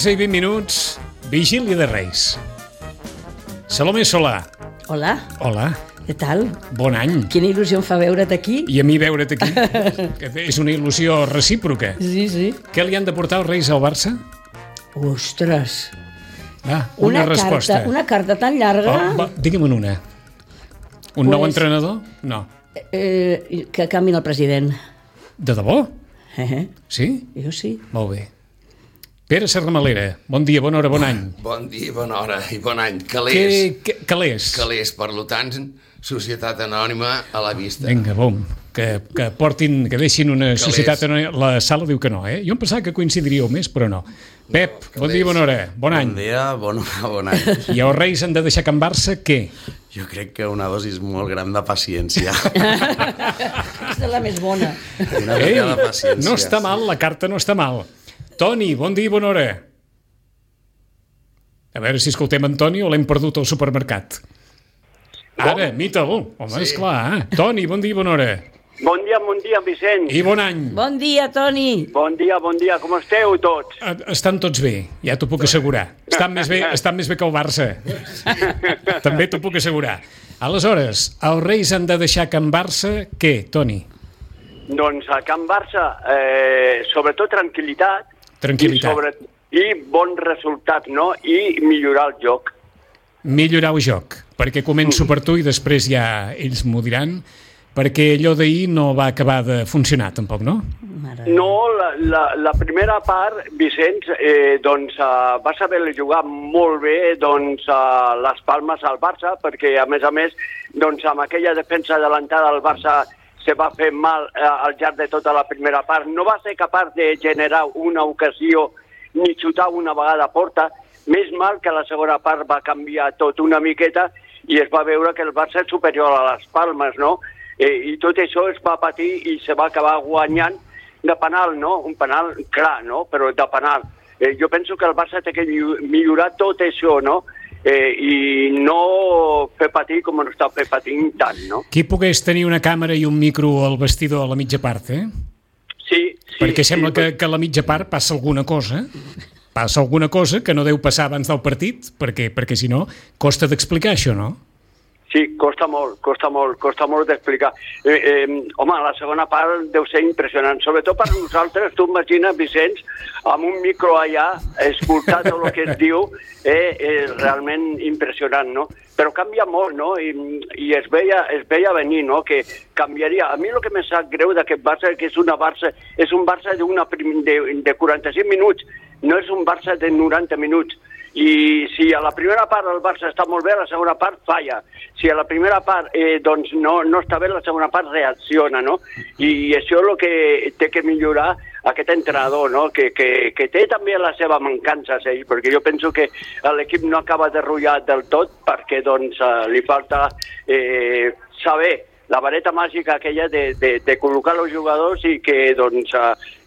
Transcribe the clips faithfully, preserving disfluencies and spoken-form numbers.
onze i vint minuts, vigília de Reis. Salomé Solà. Hola. Hola. Què tal? Bon any. Quina il·lusió em fa veure't aquí. I a mi veure't aquí. És una il·lusió recíproca. Sí, sí. Què li han de portar els Reis al Barça? Ostres. Va, una, una resposta. Carta, una carta tan llarga... Oh, va, digue'm una. Un pues, nou entrenador? No. Eh, que canviï el president. De debò? Eh? Sí? Jo sí. Molt bé. Pere Serramalera, bon dia, bona hora, bon any. Bon dia, bona hora i bon any. Calés. Que, que, calés. Calés, per tant, societat anònima a la vista. Vinga, bom, que, que portin, que deixin una calés. Societat anònima. La Sala diu que no, eh? Jo em pensava que coincidiríeu més, però no. Pep, no, bon dia, bona hora, bon any. Bon dia, bon, bon any. I els Reis han de deixar Can Barça, què? Jo crec que una dosis molt gran de paciència. Aquesta és la més bona. Una Ei, mica de paciència. No està mal, la carta no està mal. Toni, bon dia i bona hora. A veure si escoltem en Toni o l'hem perdut al supermercat. Ara, imita-l. Home, sí. Esclar. Eh? Toni, bon dia i bona hora. Bon dia, bon dia, Vicenç. I bon any. Bon dia, Toni. Bon dia, bon dia. Com esteu tots? Estan tots bé, ja t'ho puc assegurar. Estan més bé, estan més bé que el Barça. També t'ho puc assegurar. Aleshores, els Reis han de deixar Can Barça, què, Toni? Doncs a Can Barça, eh, sobretot tranquil·litat. Tranquil·litat. I, sobre, i bon resultat, no? I millorar el joc. Millorar el joc, perquè començo per tu i després ja ells m'ho diran, perquè allò d'ahir no va acabar de funcionar tampoc, no? No, la, la, la primera part, Vicenç, eh, doncs uh, va saber jugar molt bé doncs, uh, les palmes al Barça, perquè a més a més, doncs amb aquella defensa adelantada del Barça se va fer mal eh, al llarg de tota la primera part. No va ser capaç de generar una ocasió ni xutar una vegada a porta. Més mal que la segona part va canviar tot una miqueta i es va veure que el Barça és superior a les Palmes, no? Eh, I tot això es va patir i se va acabar guanyant de penal, no? Un penal clar, no? Però de penal. Eh, jo penso que el Barça té que millorar tot això, no? Eh, i no fer patir com no està fer patint tant, no? Qui pogués tenir una càmera i un micro al vestidor a la mitja part, eh? Sí, sí. Perquè sembla sí, que, que a la mitja part passa alguna cosa, passa alguna cosa que no deu passar abans del partit, perquè, perquè si no, costa d'explicar això, no? Sí, costa molt, costa molt, costa molt d'explicar. Eh, eh, home, la segona part deu ser impressionant, sobretot per nosaltres. Tu imagines, Vicenç, amb un micro allà, escoltar tot el que es diu, eh, és realment impressionant, no? Però canvia molt, no? I, i es, veia, es veia venir, no?, que canviaria. A mi el que me sap greu d'aquest Barça és que és, una Barça, és un Barça d'una de, de quaranta-cinc minuts, no és un Barça de noranta minuts. I si a la primera part el Barça està molt bé, a la segona part falla. Si a la primera part eh, doncs no, no està bé, la segona part reacciona, no? I això és el que té que millorar aquest entrenador, no? Que, que, que té també la seva mancança, ell, perquè jo penso que l'equip no acaba de rotllar del tot perquè doncs li falta eh, saber la vareta màgica aquella de, de, de col·locar els jugadors i que doncs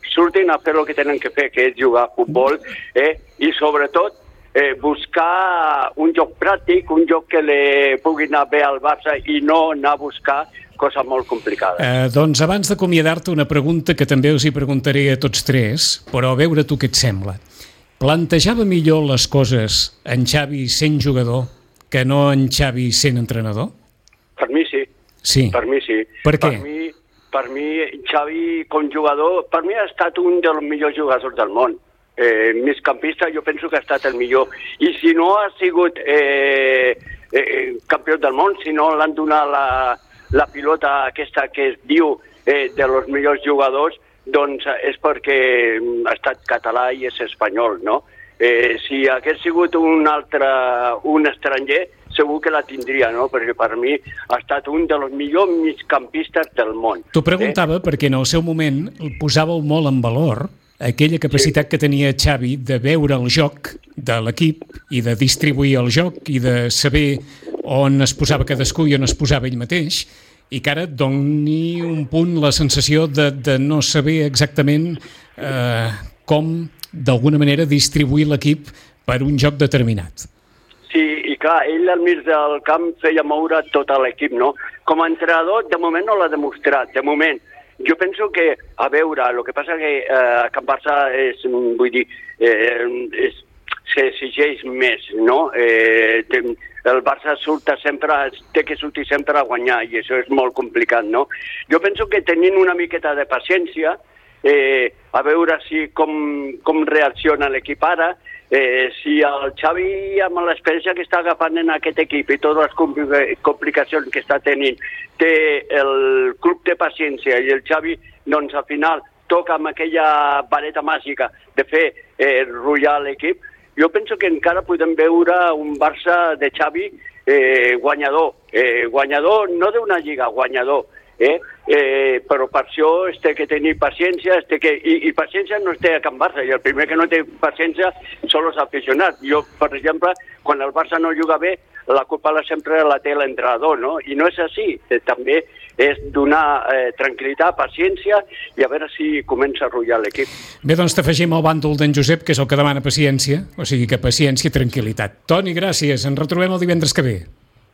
surtin a fer el que tenen que fer, que és jugar a futbol, eh? I sobretot Eh, buscar un joc pràctic, un joc que li pugui anar bé al Barça i no anar a buscar coses molt complicades. Eh, doncs abans d'acomiadar-te una pregunta que també us hi preguntaré a tots tres, però a veure tu què et sembla. Plantejava millor les coses en Xavi sent jugador que no en Xavi sent entrenador? Per mi sí. Sí. Per mi sí. Per què? Per mi, per mi Xavi com jugador, per mi ha estat un dels millors jugadors del món. Eh, migcampista jo penso que ha estat el millor i si no ha sigut eh, eh, campió del món, si no l'han donat la, la pilota aquesta que es diu eh, de los millors jugadors, doncs és perquè ha estat català i és espanyol, no? Eh, si hagués sigut un altre, un estranger, segur que la tindria, no? Perquè per mi ha estat un dels millors migcampistes del món. T'ho preguntava eh? perquè en el seu moment el posàveu molt en valor aquella capacitat sí. que tenia Xavi de veure el joc de l'equip i de distribuir el joc i de saber on es posava cadascú i on es posava ell mateix, i que ara et doni un punt la sensació de, de no saber exactament eh, com, d'alguna manera, distribuir l'equip per un joc determinat. Sí, i clar, ell al mig del camp feia moure tot l'equip, no? Com a entrenador, de moment no l'ha demostrat, de moment. Jo penso que, a veure, el que passa que eh, a Can Barça és, vull dir, eh, és, s'exigeix més, no? Eh, el Barça surta sempre, té que sortir sempre a guanyar, i això és molt complicat, no? Jo penso que tenint una miqueta de paciència, eh, a veure si com, com reacciona l'equip ara, Eh, si el Xavi, amb l'experiència que està agafant en aquest equip i totes les complicacions que està tenint, té el club de paciència i el Xavi, doncs al final toca amb aquella vareta màgica de fer eh, rullar l'equip, jo penso que encara podem veure un Barça de Xavi eh, guanyador, eh, guanyador no d'una lliga, guanyador. Eh? Eh, però per això es té que tenir paciència, es té que... I, i paciència no es té a Can Barça, i el primer que no té paciència són els aficionats. Jo, per exemple, quan el Barça no juga bé, la culpa la sempre la té l'entrenador, no? I no és així, eh, també és donar eh, tranquil·litat, paciència, i a veure si comença a rotllar l'equip. Bé, doncs t'afegim el bàndol d'en Josep, que és el que demana paciència, o sigui que paciència i tranquil·litat. Toni, gràcies, ens retrobem el divendres que ve.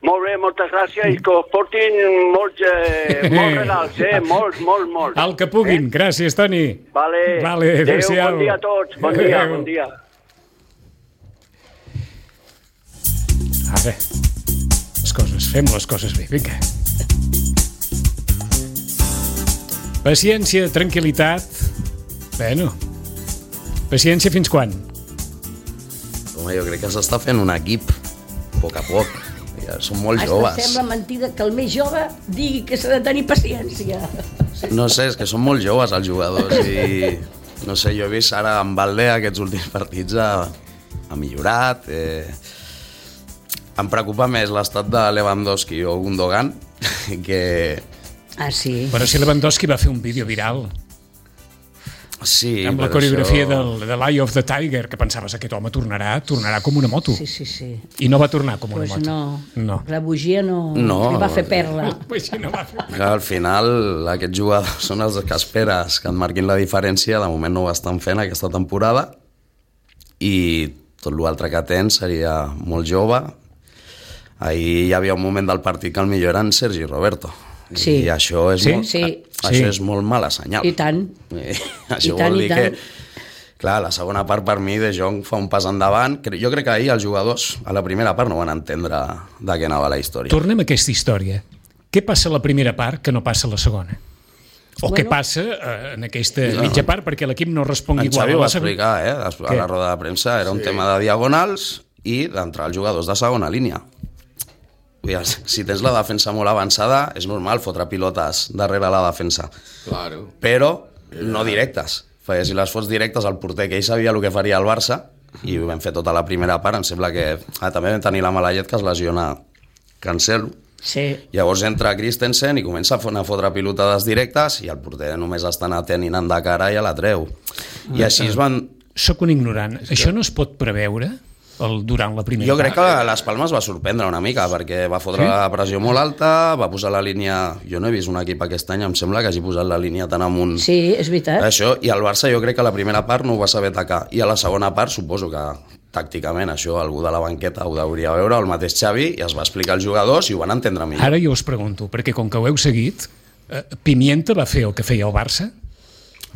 Molt bé, moltes gràcies, i que us portin molts, eh, molts regals, eh? Molts, molts, molts. El que puguin. Eh? Gràcies, Toni. Vale. Vale, adéu-siau. Bon dia a tots. Bon dia, bon dia. Ara, les coses, fem les coses bé, vinga. Paciència, tranquil·litat. Bueno, paciència fins quan? Home, jo crec que s'està fent un equip, a poc a poc. Ja són molt Hasta joves. sembla mentida que el més jove digui que s'ha de tenir paciència. No sé, és que són molt joves els jugadors i no sé, jo he vist ara en Valde aquests últims partits ha, ha millorat. Eh... Em preocupa més l'estat de Lewandowski o Gundogan que... Ah, sí. Però si Lewandowski va fer un vídeo viral Sí, amb la coreografia això... del, de l'Eye of the Tiger, que pensaves aquest home tornarà tornarà com una moto. Sí, sí, sí. I no va tornar com una pues moto. No. no. La bugia no, no li va fer perla. Pues sí, no va fer. Que al final aquests jugadors són els que esperes que et marquin la diferència. De moment no ho estan fent aquesta temporada i tot l'altre que tens seria molt jove. Ahir hi havia un moment del partit que el millor era en Sergi Roberto. Sí. I això és, Sí? molt, Sí. això Sí. és molt mala senyal. I tant. Eh, això I tant, vol i dir que, tant. clar, la segona part per mi De Jong fa un pas endavant. Jo crec que ahir els jugadors a la primera part no van entendre de què anava la història. Tornem a aquesta història. Què passa a la primera part que no passa a la segona? O Bueno. què passa eh, en aquesta No. mitja part perquè l'equip no respongui En igual Xavi a ho la va segona? explicar, eh, a Què? la roda de premsa. Era un Sí. tema de diagonals i d'entrar els jugadors de segona línia. Vull dir, si tens la defensa molt avançada, és normal fotre pilotes darrere la defensa. Claro. Però no directes. Perquè si les fots directes al porter, que ell sabia el que faria el Barça, i ho vam fer tota la primera part, em sembla que... Ah, també vam tenir la mala llet que es lesiona Cancelo. Sí. Llavors entra Christensen i comença a fotre pilotades directes i el porter només està atent i anant de cara i ja la treu. I així es van... Soc un ignorant. Això no es pot preveure el, durant la primera Jo crec que part? les Palmes va sorprendre una mica perquè va fotre Sí? la pressió molt alta, va posar la línia... Jo no he vist un equip aquest any, em sembla que hagi posat la línia tan amunt. Sí, és veritat. Això, i el Barça jo crec que a la primera part no ho va saber atacar, i a la segona part suposo que tàcticament això algú de la banqueta ho hauria veure, el mateix Xavi, i es va explicar als jugadors i ho van entendre millor. Ara jo us pregunto, perquè com que ho heu seguit, eh, Pimienta va fer el que feia el Barça?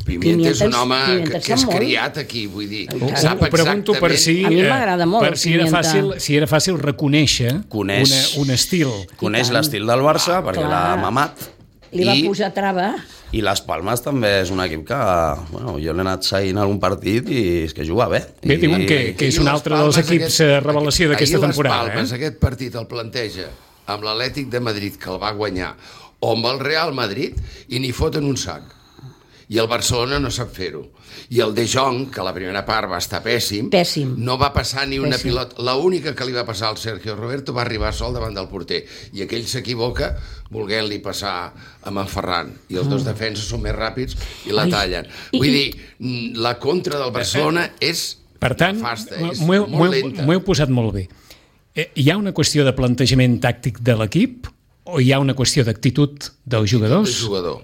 Pimienta és un Pimienta- home Pimienta que, et que és sap molt. criat aquí, vull dir. Ho- Sap Ho pregunto per exactament... si, A mi eh, m'agrada molt per el si era Pimienta. fàcil, si era fàcil reconèixer Coneix. una, un estil. Coneix I tant. l'estil del Barça perquè clar. l'ha mamat. Li va I, posar trava. I les Palmes també és un equip que, bueno, jo l'he anat seguint algun partit i és que juga bé. Bé, I, diuen que, que és un Ahir les altre dels Palmes, equips aquest- eh, revelació d'aquesta ahir temporada. les Palmes, Eh? aquest partit el planteja amb l'Atlètic de Madrid, que el va guanyar, o amb el Real Madrid, i n'hi foten un sac. I el Barcelona no sap fer-ho. I el De Jong, que la primera part va estar pèssim, Pèssim. no va passar ni una Pèssim. pilota. L'única que li va passar al Sergio Roberto va arribar sol davant del porter. I aquell s'equivoca volent-li passar amb en Ferran. I els dos defenses són més ràpids i la Ai. tallen. Vull dir, mm, la contra del Barcelona és Per tant, nefasta, és m'ho heu- m'ho molt heu- lenta. m'ho heu posat molt bé. Eh, hi ha una qüestió de plantejament tàctic de l'equip o hi ha una qüestió d'actitud dels jugadors? El jugador.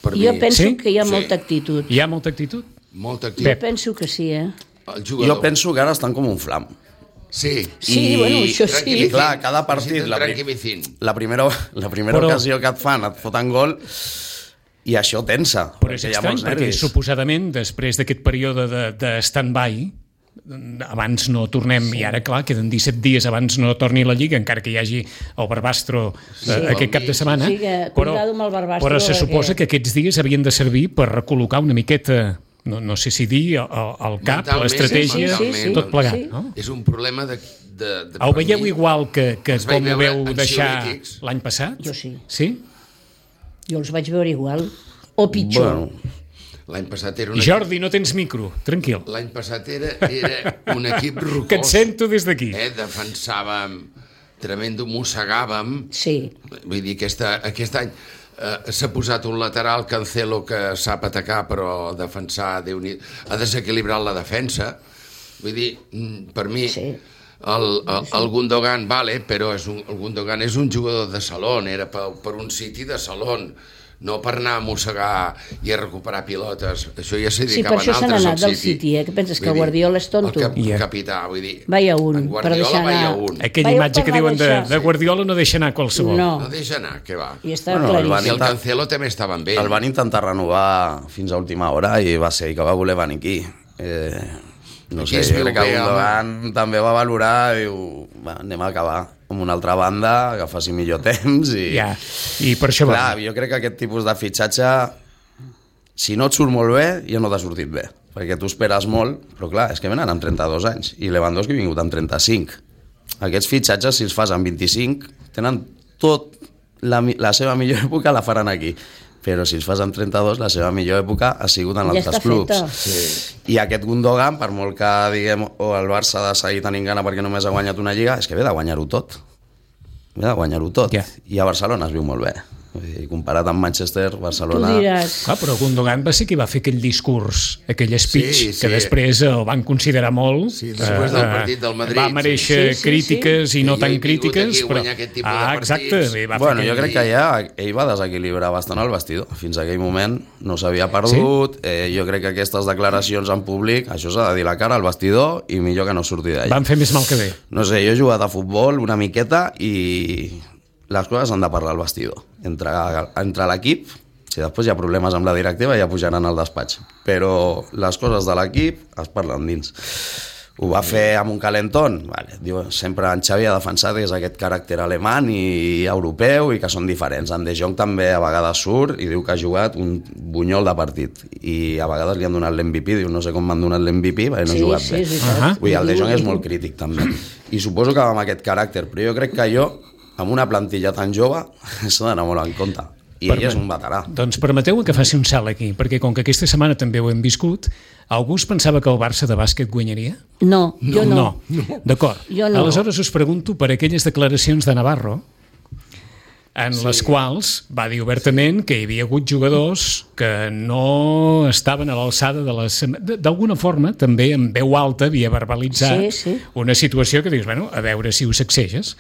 Per Jo mi, penso Sí? que hi ha Sí. molta actitud. Hi ha molta actitud? molta Jo activitat. penso que sí, eh? El jugador. Jo penso que ara estan com un flam. Sí. Sí, bueno, això sí. Tranquil·licín. Clar, cada partit, la, pri- Tranquil·licín. la primera, la primera Però- ocasió que et fan, et foten gol, i això tensa, Però és perquè hi ha estrany, molts perquè nervis. suposadament després d'aquest període de, de stand-by, abans no tornem, sí. i ara clar, queden disset dies abans no torni la Lliga, encara que hi hagi el Barbastro sí, eh, aquest cap de setmana, Sí, que però, cuidado amb el Barbastro, però se perquè- suposa que aquests dies havien de servir per recol·locar una miqueta, no, no sé si dir, el, el cap, Mentalment, l'estratègia, sí, sí, sí, tot plegat, sí. no? És un problema de... de, de Ho per veieu mi, igual que, que els vaig com ho veure veu deixar ansiolítics. l'any passat? Jo sí. Sí? Jo els vaig veure igual. O pitjor. Bueno, L'any passat era un Jordi, no tens micro, tranquil. equip, l'any passat era, era un equip rocós. Que et sento des d'aquí. Eh? Defensàvem, tremendo, mossegàvem. Sí. Vull dir, aquesta, aquest any eh, s'ha posat un lateral, Cancelo, que sap atacar, però defensar, Déu n'hi- ha desequilibrat la defensa. Vull dir, mm, per mi... Sí. El, el, el Gundogan, vale, però és un, el Gundogan és un jugador de salón, era per, per un City de salón, no per anar a mossegar i a recuperar pilotes. Això ja s'hi Sí, per dedicaven això se n'ha altres anat al del City, eh? Que penses que Vull dir, Guardiola és tonto? El cap, Ja. capità, vull dir... Vaya un, en per Guardiola deixar vaya anar. un. Aquella Veieu imatge per que no diuen de, deixar. de Guardiola no deixa anar qualsevol. No. No deixa anar, què va. I està Bueno, el I claríssim. el Cancelo també estava amb ell. el van intentar renovar fins a última hora i va ser ell que va voler venir aquí. Eh, no Aquí sé, es jo viu crec que bé, Gundogan també va valorar i diu, va, anem a acabar amb una altra banda, que faci millor temps i... Ja, i per això Clar, va. jo crec que aquest tipus de fitxatge, si no et surt molt bé, ja no t'ha sortit bé, perquè tu esperes molt, però clar, és que venen amb trenta-dos anys, i Lewandowski ha vingut amb trenta-cinc. Aquests fitxatges, si els fas amb vint-i-cinc, tenen tot, la, mi- la seva millor època la faran aquí, però si els fas amb trenta-dos, la seva millor època ha sigut en Ja altres està clubs. feta. Sí. I aquest Gundogan, per molt que diguem o el Barça ha de seguir tenint gana perquè només ha guanyat una lliga, és que ve de guanyar-ho tot. Ve de guanyar-ho tot. Ja. I a Barcelona es viu molt bé. Vull dir, comparat amb Manchester, Tu Barcelona... diràs... Clar, però Gundogan va ser qui va fer aquell discurs, aquell speech, Sí, que sí. després el van considerar molt. Sí, després del partit del Madrid, Va mereixer sí. Sí, sí, crítiques sí. i no Que jo tan he vingut crítiques, aquí a però... guanyar aquest tipus de Ah, partits. exacte. Bé, va fer Bueno, jo aquell- crec que ja ell va desequilibrar bastant el vestidor. Fins a aquell moment no s'havia perdut. Sí? Eh, jo crec que aquestes declaracions en públic, això s'ha de dir la cara al vestidor i millor que no surti d'allà. Van fer més mal que bé. No sé, jo he jugat a futbol una miqueta i les coses han de parlar al vestidor. Entre, entre l'equip, si després hi ha problemes amb la directiva ja pujaran al despatx. Però les coses de l'equip es parlen dins. Ho va fer amb un calentón. Vale. Diu, sempre en Xavi ha defensat que és aquest caràcter alemany i europeu i que són diferents. En De Jong també a vegades surt i diu que ha jugat un bunyol de partit. I a vegades li han donat l'M V P. Diu, no sé com m'han donat l'M V P perquè no Sí, he jugat sí, bé. és veritat. Ahà. Vull dir, el De Jong és molt crític també. I suposo que amb aquest caràcter. Però jo crec que jo, amb una plantilla tan jove, s'ha d'anar molt en compte. I ell és un veterà. Doncs permeteu que faci un salt aquí, perquè com que aquesta setmana també ho hem viscut, algú es pensava que el Barça de bàsquet guanyaria? No, jo no. No, d'acord. Jo no. Aleshores us pregunto per aquelles declaracions de Navarro en sí. les quals va dir obertament que hi havia hagut jugadors que no estaven a l'alçada de les... D'alguna forma, també en veu alta havia verbalitzat Sí, sí. una situació que dius, bueno, a veure si ho sacseges.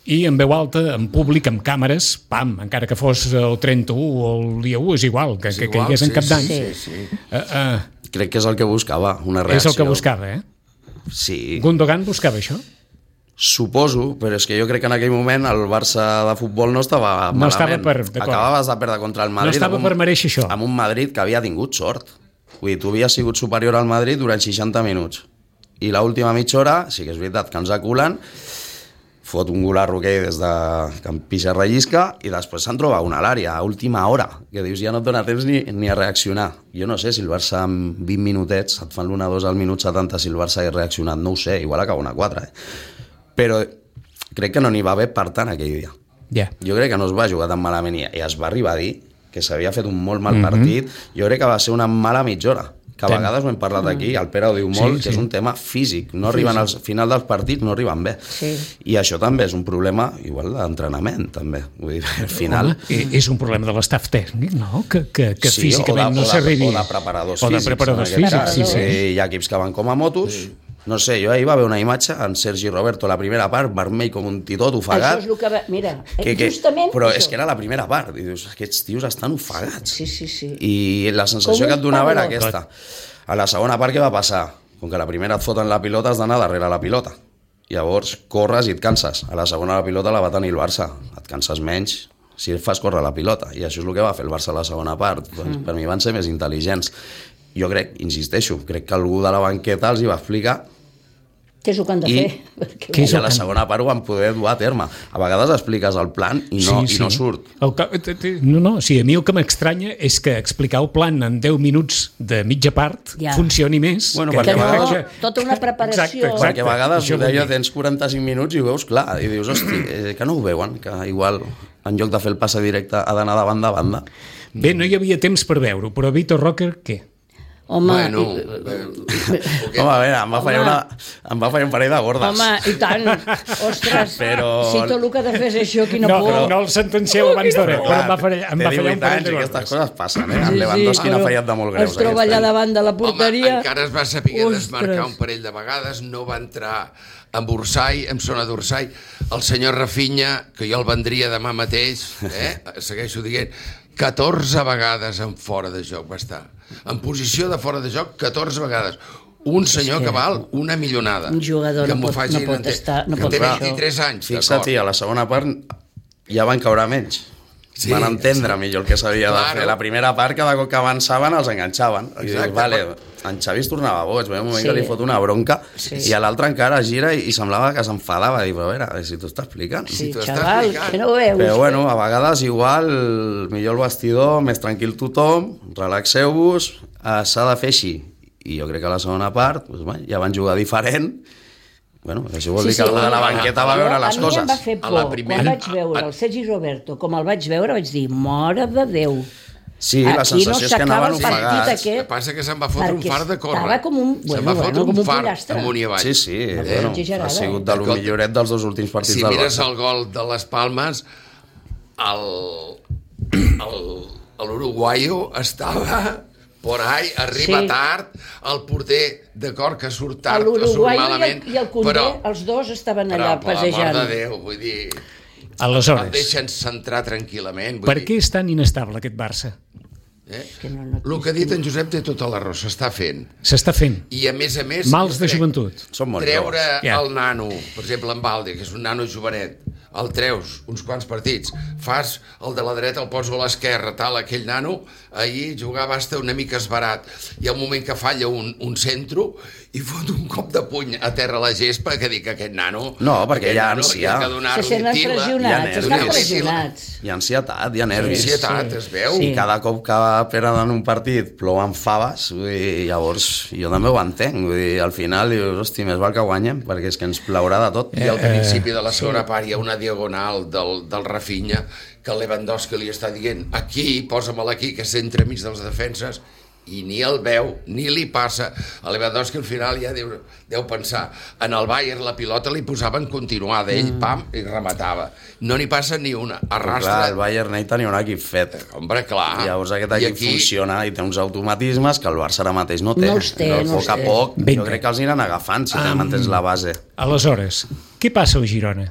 I en veu alta, en públic, amb càmeres, pam, encara que fos el trenta-u o el dia u, és igual, que, És que igual, caigués en sí, cap d'any. sí, sí, sí. Uh, uh, Crec que és el que buscava, una és reacció. el que buscava, eh? Sí, Gundogan buscava això? suposo, però és que jo crec que en aquell moment el Barça de futbol no estava No malament. estava per- d'acord. Acabaves de perdre contra el Madrid. No estava amb un- per mereixer això. Amb un Madrid que havia tingut sort. Vull dir, tu havies sigut superior al Madrid durant seixanta minuts. I l'última mitja hora, sí que és veritat que ens aculen, fot un golarro que des de que em pixa rellisca i després se'n troba una a l'àrea a última hora, que dius ja no et dona temps ni, ni a reaccionar. Jo no sé si el Barça en vint minutets et fan l'una dos al minut setanta, si el Barça hagués reaccionat, no ho sé, igual acaba una quatre, eh? Però crec que no n'hi va haver per tant aquell dia. Ja. Jo crec que no es va jugar tan malament i es va arribar a dir que s'havia fet un molt mal partit. Jo crec que va ser una mala mitja hora, que a Ten- vegades ho hem parlat aquí, el Pere ho diu Sí, molt, sí. que és un tema físic. No arriben al final dels partits, no arriben bé. Sí. I això també és un problema, igual, d'entrenament, també. Vull dir, al final... Home, i- és un problema de l'estaf tècnic, no? Que, que, que Sí, físicament o de, no o de- s'arribi... O de preparadors O de físics. preparadors en aquest físics, cas. sí, sí. Hi ha equips que van com a motos, No sé, jo ahir va haver una imatge en Sergi Roberto, la primera part, vermell com un titot, ofegat. Això és el que va... Mira, que, que, justament... però això. és que era la primera part. I dius, aquests tios estan ofegats. Sí, sí, sí. I la sensació Com que et donava era un aquesta. A la segona part, què va passar? Com que la primera et foten la pilota, has d'anar darrere la pilota. Llavors, corres i et canses. A la segona la pilota la va tenir el Barça. Et canses menys si fas córrer la pilota. I això és el que va fer el Barça a la segona part. Doncs, mm. Per mi van ser més intel·ligents. Jo crec, insisteixo, crec que algú de la banqueta els hi va explicar què és el que han de I, fer? I a la segona part ho van poder dur a terme. A vegades expliques el plan i no, sí, sí. i no surt. El, no, no, sí, a mi el que m'estranya és que explicar el plan en deu minuts de mitja part ja. funcioni més. Bueno, que, perquè que no, vegades... ja... tota una preparació... Exacte, exacte. Perquè a vegades Això deia, tens quaranta-cinc minuts i ho veus clar, i dius, hosti, eh, que no ho veuen, que igual en lloc de fer el passe directe ha d'anar de banda a banda. Bé, no hi havia temps per veure-ho, però Vitor Roque, què? Home, Bueno, i... Home, a veure, em va, fallar una, em va fallar un parell de gordes. Home, i tant. Ostres, Però... si tot el que ha de fer és això, quina no, por. Però, no el sentencieu abans d'hora, però em va fallar, em va fallar un parell de i gordes. aquestes coses passen, eh? En Lewandowski n'ha fallat de molt greus. Es troba allà davant de la porteria. Home, encara es va saber Ostres. desmarcar un parell de vegades, no va entrar en Orsay, en zona d'Orsay. El senyor Rafinha, que jo el vendria demà mateix, eh? segueixo dient, catorze vegades en fora de joc va estar. En posició de fora de joc, catorze vegades. Un senyor que val una millonada. Un jugador que no pot, no pot estar... No que pot té fer vint-i-tres anys, Fixa't, a la segona part ja van caure menys. Sí, van entendre sí. millor el que s'havia de fer. La primera part, cada cop que avançaven, els enganxaven. I dius, vale, en Xavi es tornava boig, veia un moment sí. que li fot una bronca, sí. i a l'altre encara gira i, i semblava que s'enfadava. Dic, però a veure, si t'ho està explicant. Sí, si xaval, que no ho veus. Però bueno, a vegades igual, millor el vestidor, més tranquil tothom, relaxeu-vos, eh, s'ha de fer així. I jo crec que a la segona part, doncs, bé, ja van jugar diferent. Bueno, això vol dir sí, sí, que algú de la banqueta va veure les coses. A mi em va fer por, primera... quan vaig veure el Sergi Roberto, com el vaig veure, vaig dir, mare de Déu. Sí, la aquí sensació no és que anaven ofegats. El que passa que se'n va fotre un far de córrer. Estava com un, bueno, se'n va fotre bueno, un, un far pollastre. amunt i avall. Sí, sí, no, bueno, ha sigut de lo milloret dels dos últims partits si del Barça. Si mires el gol de les Palmes, l'uruguaio estava... por ahí, arriba sí. tard, el porter, d'acord, que surt tard, que surt malament... I el, i el Condé, però, els dos estaven allà però, passejant. Però, per l'amor de Déu, vull dir... Aleshores, el deixen centrar tranquil·lament. Per dir... què és tan inestable aquest Barça? Eh? Que no, no, el que ha dit en Josep té tota la raó, s'està fent. S'està fent. I a més a més... Mals de joventut. Treure yeah. el nano, per exemple, en Balde, que és un nano jovenet, el treus uns quants partits, fas el de la dreta, el poso a l'esquerra, tal, aquell nano, ahir jugava hasta una mica esbarat. Hi ha un moment que falla un, un centro i fot un cop de puny a terra a la gespa que dic que aquest nano... No, perquè hi ha ànsia. Se senten pressionats, estan pressionats. Hi ha ansietat, hi ha nervis. Hi ha ansietat, es veu. I cada cop que perden un partit plouen faves, i llavors jo també ho entenc. Vull dir, al final dius, hosti, més val que guanyem, perquè és que ens plaurà de tot. I al principi de la segona part hi ha una diagonal del, del Rafinha que el Lewandowski li està dient aquí, posa-me'l aquí, que s'entra enmig dels defenses, i ni el veu, ni li passa. El Lewandowski al final ja deu, deu pensar, en el Bayern la pilota li posaven continuada, ell mm. pam, i rematava. No n'hi passa ni una, arrastra. Clar, el Bayern ell tenia un equip fet. Hombre, clar. I llavors aquest equip aquí... funciona i té uns automatismes que el Barça ara mateix no té. No els té, però no a poc a poc, Vinga. jo crec que els aniran agafant si um... mantens la base. Aleshores, què passa a Girona?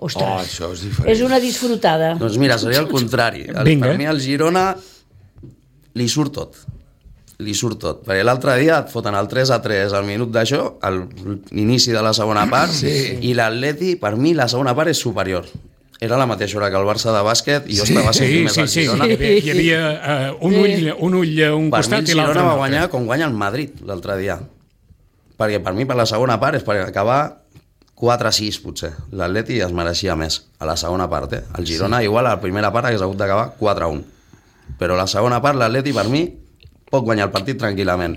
Ostres, oh, això és diferent. És una disfrutada. Doncs mira, seria el contrari. El, per mi el Girona li surt tot. Li surt tot. Perquè l'altre dia et foten el tres a tres al minut d'això, a l'inici de la segona part, sí. i l'Atleti, per mi, la segona part és superior. Era la mateixa hora que el Barça de bàsquet i jo sí, estava seguint sí, més sí, al sí, Girona. Sí, hi havia uh, un, ull, un ull a un per costat mi, i l'altre. Per mi el Girona va guanyar com guanya el Madrid l'altre dia. Perquè per mi, per la segona part, és per acabar quatre a sis, potser. L'Atleti es mereixia més a la segona part. Eh? El Girona, sí. igual, a la primera part hagués hagut d'acabar quatre a un. Però a la segona part, l'Atleti, per mi, pot guanyar el partit tranquil·lament.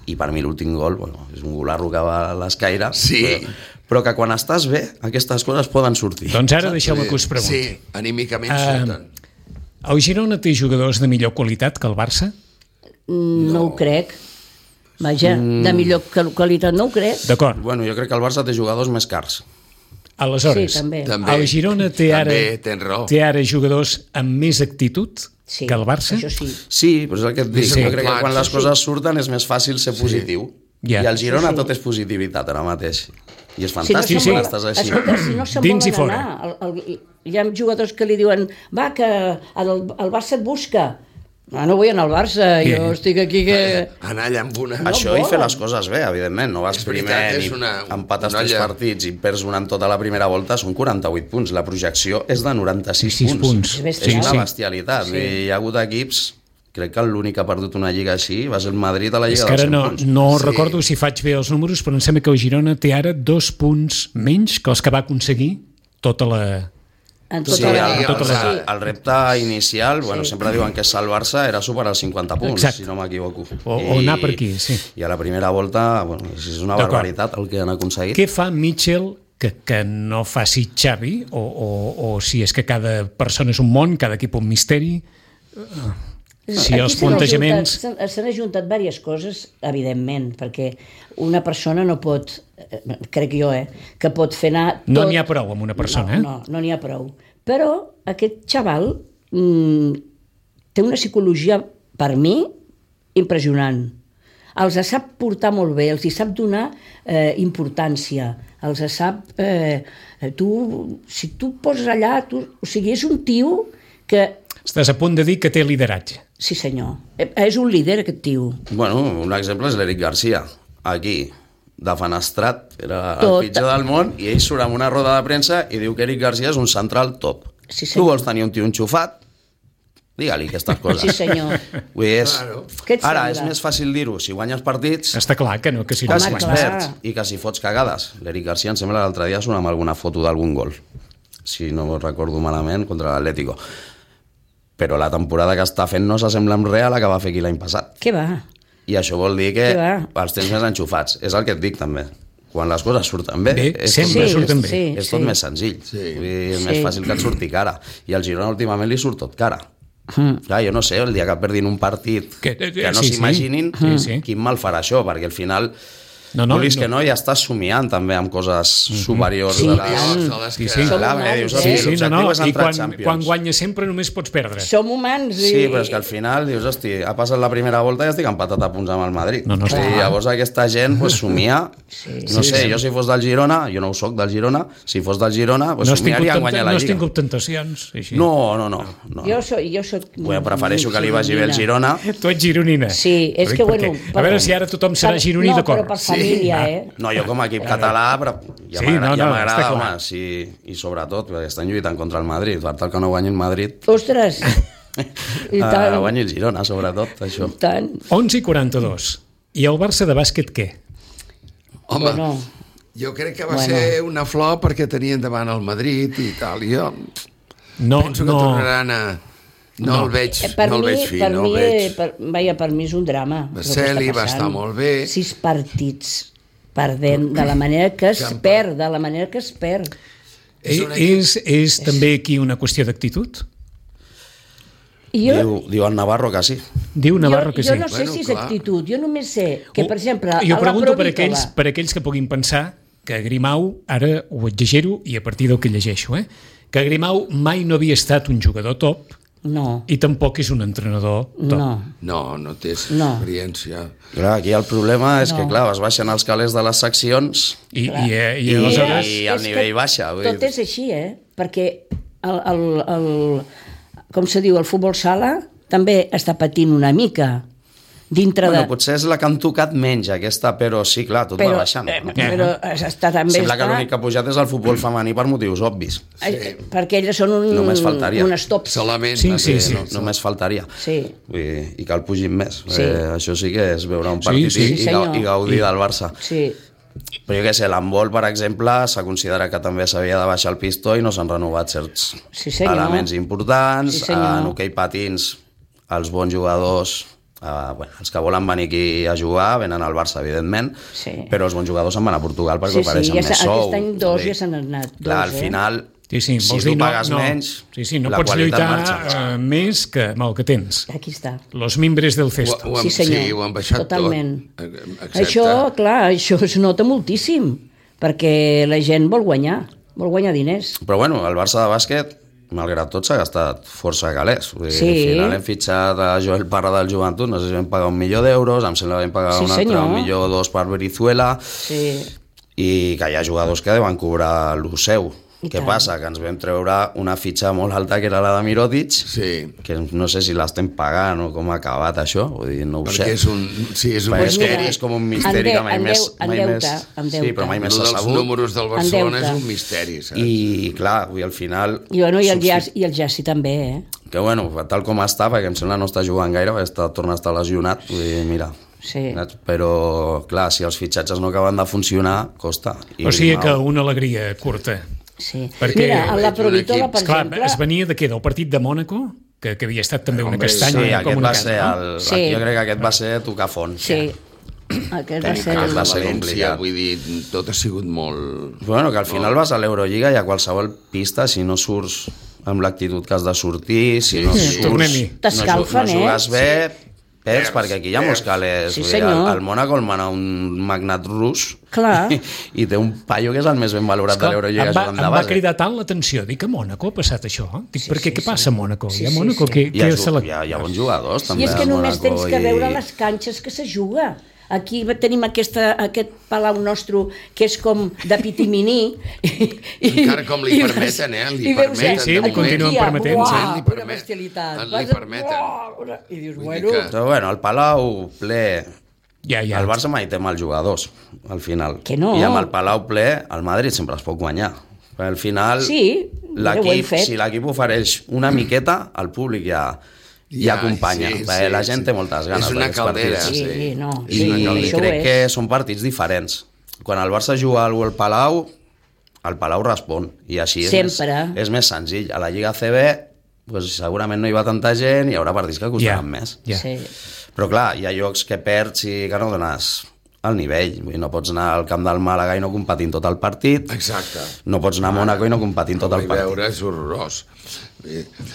I per mi l'últim gol, bueno, és un golarro que va a l'escaire, sí. però, però que quan estàs bé, aquestes coses poden sortir. Doncs ara deixeu-me que us pregunti. Sí, anímicament uh, surten. El Girona té jugadors de millor qualitat que el Barça? No, no ho crec. Vaja, mm. de millor qualitat no ho crec. D'acord. Bueno, jo crec que el Barça té jugadors més cars. Aleshores, sí, també. el Girona té ara, també, té ara jugadors amb més actitud sí, que el Barça? Això sí. Sí, però és el que et dic. Sí, jo crec clar, que quan les sí, coses sí. surten és més fàcil ser positiu. Ja. I al Girona Sí, sí. tot és positivitat ara mateix. I és Si no fantàstic se'n quan vol- estàs així. Escolta, si no se'n Dins i volen fora. anar, el, el, hi ha jugadors que li diuen va, que el, el Barça et busca. No, no vull anar al Barça, Bien. jo estic aquí que... Anar allà amb una... No Això i fer volen. les coses bé, evidentment. No vas És primer veritat, és i una- empates una tres olla. partits i perds una en tota la primera volta, són quaranta-vuit punts. La projecció és de noranta-sis sis punts. punts. És És bestial. una Sí. bestialitat. Sí. I hi ha hagut equips... Crec que l'únic que ha perdut una lliga així va ser el Madrid a la És lliga que ara dels cent no, punts. no Sí. recordo si faig bé els números, però em sembla que el Girona té ara dos punts menys que els que va aconseguir tota la... En Sí, tota el, la... el, tota la- el, el repte inicial, bueno, sempre diuen que salvar-se era superar els cinquanta punts, Exacte. si no m'equivoco. O- o anar per aquí, sí. I a la primera volta, bueno, és una D'acord. barbaritat el que han aconseguit. Què fa Mitchell que, que no faci Xavi? O, o, o si és que cada persona és un món, cada equip un misteri? Si Aquí els s'han plantejaments... ajuntat- s'han- S'han ajuntat diverses coses, evidentment, perquè una persona no pot, eh, crec jo, eh, que pot fer anar tot... No n'hi ha prou amb una persona, no, eh? No, no n'hi ha prou. Però aquest xaval mm, té una psicologia, per mi, impressionant. Els sap portar molt bé, els hi sap donar eh, importància, els sap... Eh, tu, si tu et poses allà, tu, o sigui, és un tio que... Estàs a punt de dir que té lideratge. Sí, senyor. Eh, És un líder, aquest tio. Bueno, un exemple és l'Eric Garcia, aquí, defenestrat, era Tot. el pitjor del món, i ell surt amb una roda de premsa i diu que Eric Garcia és un central top. Sí, tu senyor. vols tenir un tio enxufat? Digue-li aquestes coses. Sí, senyor. Vull dir, és... Claro. Què et Ara, sembla? és més fàcil dir-ho si guanyes partits Està clar que no, que si que no si Home, guanyes. clar. perds i que si fots cagades. L'Eric Garcia, em sembla, l'altre dia surt amb alguna foto d'algun gol, si no recordo malament, contra l'Atlético. Però la temporada que està fent no s'assembla en res a la que va fer aquí l'any passat. Què va? I això vol dir que Què va? els tens més enxufats. És el que et dic, també. Quan les coses surten bé, Bé, és, sempre tot, surten més, bé. és tot més senzill. Sí. Vull dir, és Sí. més fàcil que et surti cara. I al Girona últimament li surt tot cara. Mm. Clar, jo no sé, el dia que perdin un partit Que- que, eh, no sí, sí. s'imaginin, Sí, sí. quin mal farà això, perquè al final... No, no, vulguis no. que no, ja estàs somiant també amb coses superiors Sí, a i les... tant. De les Sí, que... sí. Som Clar, humans, dius, eh? hosti, Sí, sí, no, l'objectiu no. és I entrar a quan, Champions. quan guanyes sempre només pots perdre. Som humans i... Sí, però és que al final dius, hosti, ha passat la primera volta i estic empatat a punts amb el Madrid. No, no, I està clar. llavors aquesta gent pues, somia, Sí. no sé, jo si fos del Girona, jo no ho soc del Girona, si fos del Girona, pues, No has tingut, somiaria en tenta, guanyar no la has Lliga. tingut tentacions. Així. No, no, no. no. Jo soc... Jo soc Bueno, prefereixo que li vagi bé el Girona. Tu ets gironina. Sí, és Ho dic que, bueno... perquè- A veure si ara tothom serà gironí no, d'acord. No, però per família, Ah. eh? No, jo com a equip català, però ja Sí, m'agrada, no, ja no, m'agrada, està clar. home, sí, i sobretot, perquè estan lluitant contra el Madrid, per tal que no guanyi el Madrid, Ostres! I uh, tant, guanyi el Girona, sobretot, això. i tant. onze i quaranta-dos. I el Barça de bàsquet què? Home, Bueno. jo crec que va Bueno. ser una flor perquè tenien davant el Madrid i tal. Jo No, penso que no, tornaran a... No, No. el veig, Eh, Per no el mi, veig fi, per no mi, el veig. eh, per, vaja, per mi és un drama. el que Basseli està va passant. estar molt bé. Sis partits perdent de la manera que es Campa. perd, de la manera que es perd. És és, un equip- és, és també aquí una qüestió d'actitud? I jo, Diu, diu el Navarro que sí. Diu Navarro jo, que jo sí. no sé Bueno, si és clar. actitud, jo només sé que, per exemple, a jo la pregunto per Provítola- aquells, per aquells que puguin pensar que Grimau, ara ho exagero i a partir del que llegeixo, eh? que Grimau mai no havia estat un jugador top No, i tampoc és un entrenador top. no. No, no té No. experiència. Clar, aquí el problema és No. que, clar, es baixen els calés de les seccions I, i, eh, i, i, aleshores... i el És que nivell baixa. Vull Tot dir. és així, eh? Perquè el, el, el, com se diu, el futbol sala també està patint una mica dintre Bueno, de... potser és la que han tocat menys, aquesta, però sí, clar, tot Però, va baixant. eh, però està també... Sembla que està, l'únic que ha pujat és el futbol femení per motius obvis. eh, perquè elles són un, Només faltaria. unes tops. Solament. Sí, va sí, ser, sí. no? Només faltaria. Sí. Vull dir, i que el pugin més. Sí. Eh, això sí que és veure un partit sí, i, sí, i, gau- senyor. i gaudir del Barça. Sí, Però jo què sé, l'handbol, per exemple, s'ha considerat que també s'havia de baixar el pistó i no s'han renovat certs Sí, senyor. elements importants. Sí, senyor. En hoquei patins, els bons jugadors, eh, bueno, els que volen venir aquí a jugar, venen al Barça, evidentment, Sí. però els bons jugadors se'n van a Portugal perquè sí, sí. ofereixen Ja més s'ha- sou. aquest any dos Vull dir, ja s'han anat. Clar, dos, al eh? final, Sí, sí, si vols tu dir, no, pagues no, menys, sí, sí, no la pots qualitat lluitar marxa. uh, més que amb el que tens. Aquí està. Los mimbres del Ho, cesto. ho, han, Sí, senyor. sí, ho han baixat Totalment. tot. Eh, Excepte... Això, clar, això es nota moltíssim, perquè la gent vol guanyar, vol guanyar diners. Però bueno, el Barça de bàsquet malgrat tot, s'ha gastat força calés. Vull dir, Sí. Al final hem fitxat a Joel Parra del Joventut, no sé si vam pagar un milió d'euros, em sembla que vam pagar Sí, un altre senyor. un milió o dos per Brizuela, Sí. i que hi ha jugadors que deuen cobrar lo seu. I Què tant. passa? Que ens vam treure una fitxa molt alta, que era la de Mirotic, Sí, que no sé si l'estem pagant o com ha acabat això, vull dir, no ho perquè sé. és un, sí, és un Però és, Pues com, misteri. és com un misteri que mai En més... deu- en mai deute, més en sí, deute. però mai més Lo s'ha dels sabut. números del Barcelona deute. és un misteri, saps? I, clar, vull, al final... I, bueno, i, el substi- Jazz, I el Jassi també, eh? Que, bueno, tal com està, perquè em sembla no està jugant gaire, perquè està, torna a estar lesionat, vull dir, mira... Sí. Però, clar, si els fitxatges no acaben de funcionar, costa. I, O sigui que mal. una alegria curta. Sí. Perquè- Mira, en la Veig un Provitola, equip- per Esclar, exemple... es venia de què? Del partit de Mònaco? Que, que havia estat també una Hombre, castanya Sí, com aquest una va casa, ser no? el... Sí. Jo crec que aquest va ser tocar fons. Sí. Aquest va Tenir ser... casa va a ser València, complicat. vull dir, tot ha sigut molt... Bueno, que al final vas a l'Eurolliga i a qualsevol pista, si no surts amb l'actitud que has de sortir, si no Sí, surts... tornem-hi. no, T'escalfen, no eh? jugues bé, perds, Perds, perquè aquí hi ha molts perds. calés. Sí, Vull dir, senyor. al, al Mònaco el mana un magnat rus Clar. i, i té un paio que és el més ben valorat Esclar, de l'Eurolliga em va, jugant em de va base. cridar tant l'atenció. Dic, a Mònaco ha passat això? Dic, Sí, per què? sí, Què sí. passa a Mònaco? Sí, I a sí, Mònaco sí. què, Hi ha, què se la... hi, ha, hi ha bons jugadors, també. I és que al només Mònaco, tens que i- veure les canxes que se juga. Aquí tenim aquesta, aquest palau nostre que és com de pitiminí. I, Encara com li i permeten, eh? Li i veus, permeten, Sí, sí, de li moment. continuen Aquí, permetent, uah, sí. Li una permet- bestialitat. li Vas a- permeten. uah, una- I dius, Vull dir bueno... que- Però bueno, el Palau ple... Ja, ja. El Barça mai té mals jugadors, al final. Que no. I amb el Palau ple, el Madrid sempre es pot guanyar. Però al final, Sí, mira, ho hem l'equip, fet. si l'equip ofereix una miqueta, el públic ja, ja, Ja, acompanya. sí, perquè sí, la gent sí. té moltes ganes És una d'aquests caldera, partits. Sí, sí. no. És Sí, una I caldera. això ho crec és. que són partits diferents. Quan el Barça juga al Palau, el Palau respon. I així és, Sempre. més, és més senzill. A la Lliga C B, pues, segurament no hi va tanta gent i hi haurà partits que Ja, costaran més. ja. Sí. Però clar, hi ha llocs que perds i que no dones el nivell. Vull dir, no pots anar al camp del Màlaga i no competint tot el partit. Exacte. No pots anar a Mònaco i no competint tot Ho el vaig partit. veure, és horrorós.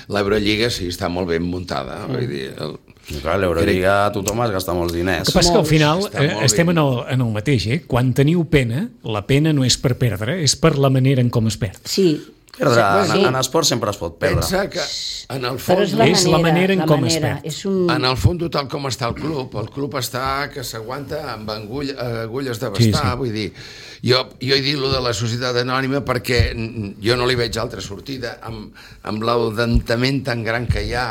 L'Eurolliga sí, està molt ben muntada. Vull dir, el... I clar, l'Eurolliga tothom es gasta molts El diners. que passa que al final Està eh, molt estem ben. en el, en el mateix, eh? Quan teniu pena, la pena no és per perdre, és per la manera en com es perd. Sí. Perdre, Sí. en, en esport sempre es pot perdre. Pensa que en el Però fons... és la És la manera, manera en la com es manera. perd. És un... En el fons, tal com està el club, el club està que s'aguanta amb angull, agulles de Sí, bastar, sí. vull dir, jo, jo he dit lo de la societat anònima perquè mm, jo no li veig altra sortida amb, amb l'endentament tan gran que hi ha,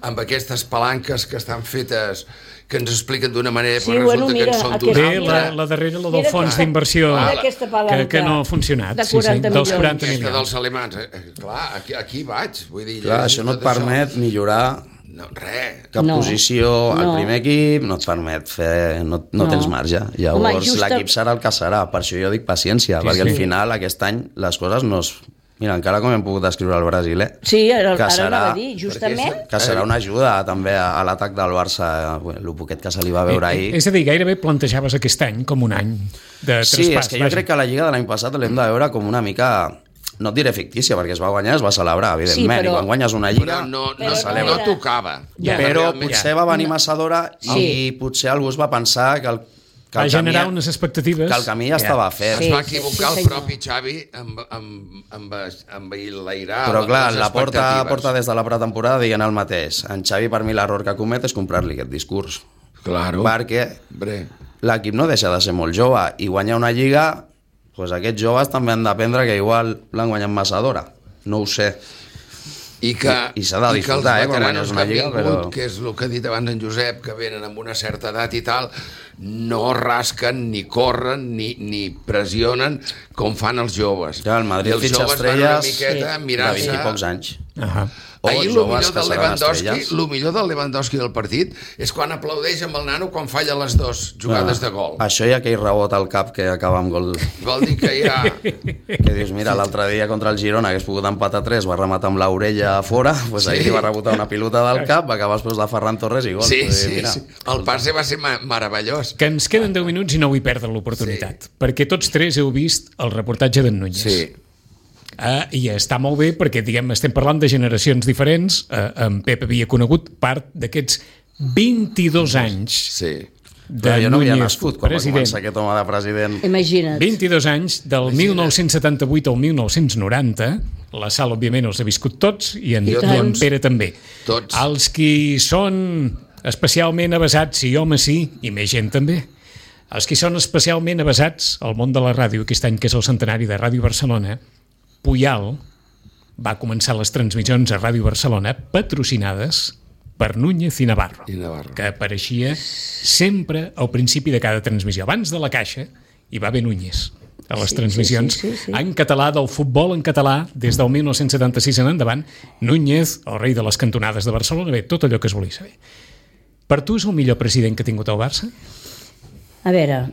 amb aquestes palanques que estan fetes que ens expliquen d'una manera, Sí, però bueno, resulta mira, que en són aquesta- d'una Bé, mira, la, altra. la darrera, la del mira fons aquesta- d'inversió mira aquesta que, palanca que no ha funcionat. de Sí, sí, quaranta dels milions. quaranta Aquesta milions. dels alemans, eh, eh, clar, aquí, aquí vaig, vull dir... Clar, llegeixo això no et tot això. permet millorar No, res. cap No. posició al No. primer equip, no et permet fer... No, no, No. tens marge. Home, Llavors justa- l'equip serà el que serà. Per això jo dic paciència, Sí, perquè sí. al final aquest any les coses no es... Mira, encara com hem pogut descriure el brasiler, Sí, ara, que ara serà- anava a dir, justament... que serà una ajuda també a, a l'atac del Barça, el poquet que se li va veure Eh, ahir. eh, És a dir, gairebé plantejaves aquest any com un any de Sí, traspàs. és que jo crec que la Lliga de l'any passat l'hem de veure com una mica... No et diré fictícia, perquè es va guanyar, es va celebrar, evidentment, Sí, però- i quan guanyes una Lliga... Però no, Però no, no no era- tocava. Ja. però Realment- potser va venir massa d'hora i Sí. potser algú es va pensar que el, que Va el generar camí, unes expectatives. que el camí ja estava fet. Es Sí, va sí, equivocar sí, el senyor. propi Xavi amb, amb, amb, amb l'airar Però clar, les la porta, expectatives. porta des de la pretemporada dient el mateix. En Xavi, per mi, l'error que comet és comprar-li aquest discurs. Claro. Perquè Bre. l'equip no deixa de ser molt jove i guanyar una Lliga, doncs aquests joves també han d'aprendre que igual l'han guanyat massa d'hora. No ho sé. I que, I- i s'ha de i que els disfrutar, eh, quan veteranos guanyes una que han lliga, vingut, però- que és el que ha dit abans en Josep, que venen amb una certa edat i tal, no rasquen, ni corren, ni, ni pressionen com fan els joves. Ja, el Madrid I els fitxa joves van una estrelles miqueta Sí. mirant-se... de vint i pocs anys. Ahà. O Ahir el joves millor que del seran Lewandowski, estrelles. el millor del Lewandowski del partit és quan aplaudeix amb el nano quan falla les dues jugades de gol. Això hi ha aquell rebot al cap que acaba amb gol. Vol dir que ja... Que dius, mira, l'altre dia contra el Girona hagués pogut empatar tres, va rematar amb l'orella a fora, doncs ahir li va rebotar una pilota del cap, va acabar després de Ferran Torres i gol. Sí, Vull dir, sí, mira, sí. El passe va ser ma- meravellós. Que ens queden deu minuts i no vull perdre l'oportunitat, sí. perquè tots tres heu vist el reportatge d'en Núñez. Sí. Ah, I està molt bé perquè, diguem, estem parlant de generacions diferents. Eh, en Pep havia conegut part d'aquests vint-i-dos anys Sí. de Clar, jo no havia Núñez, nascut quan president. va començar aquest home de president. Imagina't. vint-i-dos anys, del mil nou-cents setanta-vuit al mil nou-cents noranta. La Sal, òbviament, els ha viscut tots i en, I i en Pere també. Tots. Els qui són especialment avasats, sí, home, sí, i més gent també. Els qui són especialment avasats al món de la ràdio, aquest any que és el centenari de Ràdio Barcelona, Puyal va començar les transmissions a Ràdio Barcelona patrocinades per Núñez i Navarro, I Navarro. que apareixia sempre al principi de cada transmissió. Abans de la caixa hi va haver Núñez a les Sí, transmissions sí, sí, sí, sí. en català, del futbol en català, des del mil nou-cents setanta-sis en endavant. Núñez, el rei de les cantonades de Barcelona, bé, tot allò que es volia saber. Per tu és el millor president que ha tingut el Barça? A veure...